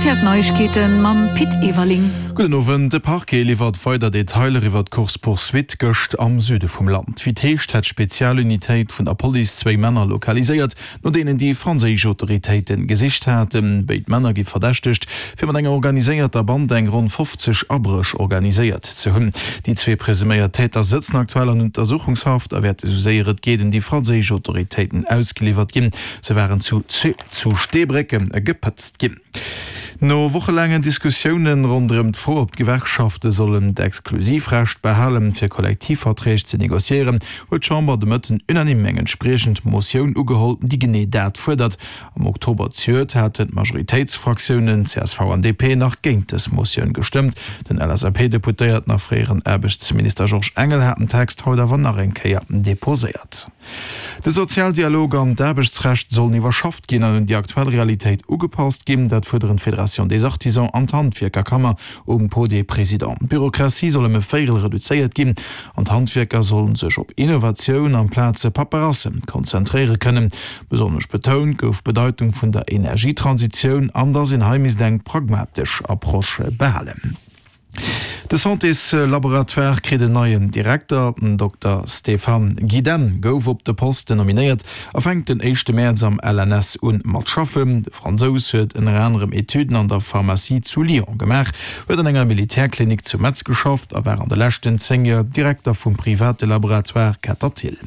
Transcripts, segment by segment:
Rtl D'Neiegkeeten mam Pit Everling. Gudden Owend. De Parquet liwwert weider Detailer iwwer d'Course-poursuite gëscht am Süde vum Land. Wéi et heescht, hätt d'Spezialunitéit vun der Police zwéi Männer lokaliséiert, no deenen déi franséisch Autoritéite gesicht haten. Béid Männer gi verdächtegt, fir mat enger organiséierter Band eng ronn 50 Abréch organiséiert ze hunn. Déi zwee presuméiert Täter sëtzen aktuell an Untersuchungshaft a wäerte sou séier et geet un déi franséisch Autoritéiten ausgeliwwert ginn. Se waren zu zu Steebrécke gepëtzt ginn. No wochelaangen Diskussiounen ronderëm d'Fro, ob d'Gewerkschafte sollen d'Exklusivrecht behalen, fir Kollektivverträg ze negociéieren, huet d'Chamber de Mëtten unanime eng entspriechend Motioun ugeholl, déi genee dat fuerdert. Am Oktober zejoert haten d'Majoritéitsfraktiounen csv an DP nach géint dës Motioun gestëmmt. Den LSAP-Deputéierten a fréieren Aarbechtsminister Georges Engel hat den Text haut awer nach eng Kéier deposéiert. De Sozialdialog an d'Aarbechtsrecht sollen iwwerschafft ginn an un déi aktuell Realitéit ugepasst ginn. Dat fuerderen d'Fédération des Artisans an d'Handwierkerkammer um Pot des Présidents. D'Bürokratie soll ëm e Véierel reduzéiert ginn an d'Handwierker sollen sech op Innovatioun amplaz Paperasse konzentréiere kënnen. Besonnesch betount gouf d'Bedeitung vun der Energietransitioun an datt een hei misst eng pragmatesch Approche behalen. De Santéslaboratoire kritt en neien Direkter. Den Dokter Stéphane Gidenne gouf op de Posten nominéiert a fänkt den éischte Mäerz am LNS un mat schaffen. De Fransous huet ënner anerem Etüden an der Pharmacie zu Lyon gemaach, huet an enger Militärklinik zu Metz geschafft a war an de leschten 10 Joer Direkter vum private Laboratoire Ketterthill.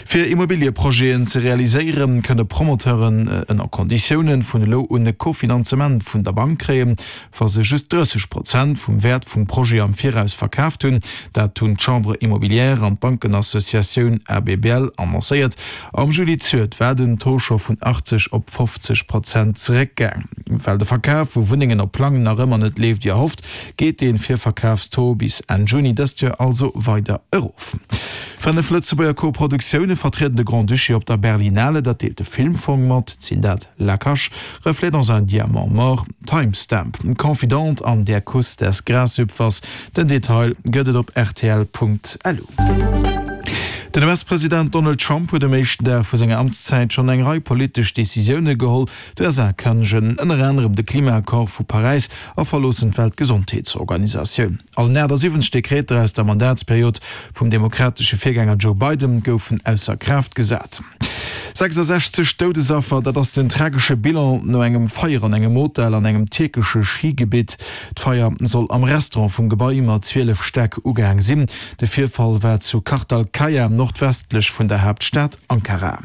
Fir Immobilieprojeten ze realiséieren, kënne Promoteuren ënner Konditioune vun elo un e Kofinanzement vun der Bank kréien. wa se just 30 Prozent vum Wäert vum Projet am Viraus verkaaft hunn. Dat hunn d'Chambre immobilière an d'Bankenassociatioun ABBL annoncéiert. Am Juli zejoert war den Taux scho vun 80 op 50 Prozent zeréckgaang. Well de Verkaf vu Wunnengen op Plang nach ëmmer net leeft wéi erhofft, geet de Virverkafstaux bis Enn Juni dëst Joer also weider erof. 5 Lëtzebuerger Koproduktioune vertrieden de Grand-Duché op der Berlinale, dat deelt de Filmfong mat. Sinn dat La Cache, Reflet dans un diamant mort, Timestamp, Confidente an Der Kuss des Grashüpfers. Den Detail gëtt et op rtl.lu. Den US-President Donald Trump huet um éischten Dag vu senger Amtszäit schonn eng Rei politesch Decisioune geholl. D'USA kënnegen ënner anerem de Klimaaccord vu Paräis a verloossen d'Weltgesondheetsorganisatioun. Allen 78 Dekreter aus der Mandatsperiod vum demokratesche Virgänger Joe Biden goufen ausser Kraaft gesat. 66 Doudesaffer, dat ass den tragesche Bilan no engem Feier an engem Hotel an engem tierkesche Schigebitt. D'Feier soll am Restaurant vum Gebai mat 12 Stäck ugaang sinn. De Virfall war zu Kartalkaya, nordwestlech vun der Haaptstad Ankara.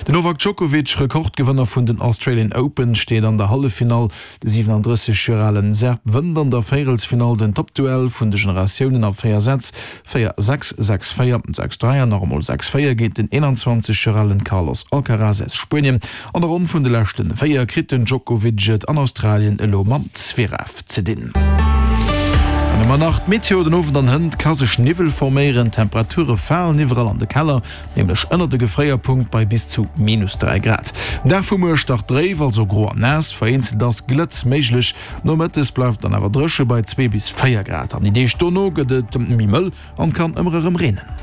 Den Novak Djokovic, Rekordgewënner vun den Australian Open, steet an der Halleffinall. De 37 Joer alen Serb wënnt an der Véierelsfinall den Toppduell vun de Generatiounen a 4 Sätz, 4, 6, 6, 4, 6, 3 an nach emol 6, 4 géint den 21 Joer alen Carlos Alcaraz aus Spuenien. An der Ronn vun de leschte 4 kritt den Djokovic et an Australien elo mam Zverev ze dinn. An ëmmer nach d'Meteo, Den Owend an hënt ka sech Niwwel forméieren, d'Temperature falen iwwerall an de Keller, nämlech ënnert de Gefréierpunkt bei bis zu minus 3 Grad. Den Dag vu muer start dréif, also gro an naass, vereenzelt ass Glëtz méiglech. Nomëttes bleift et dann awer dréche bei 2 bis 4 Grad an déi Deeg dono gëtt et méi mëll an kann ëmmer erëm reenen.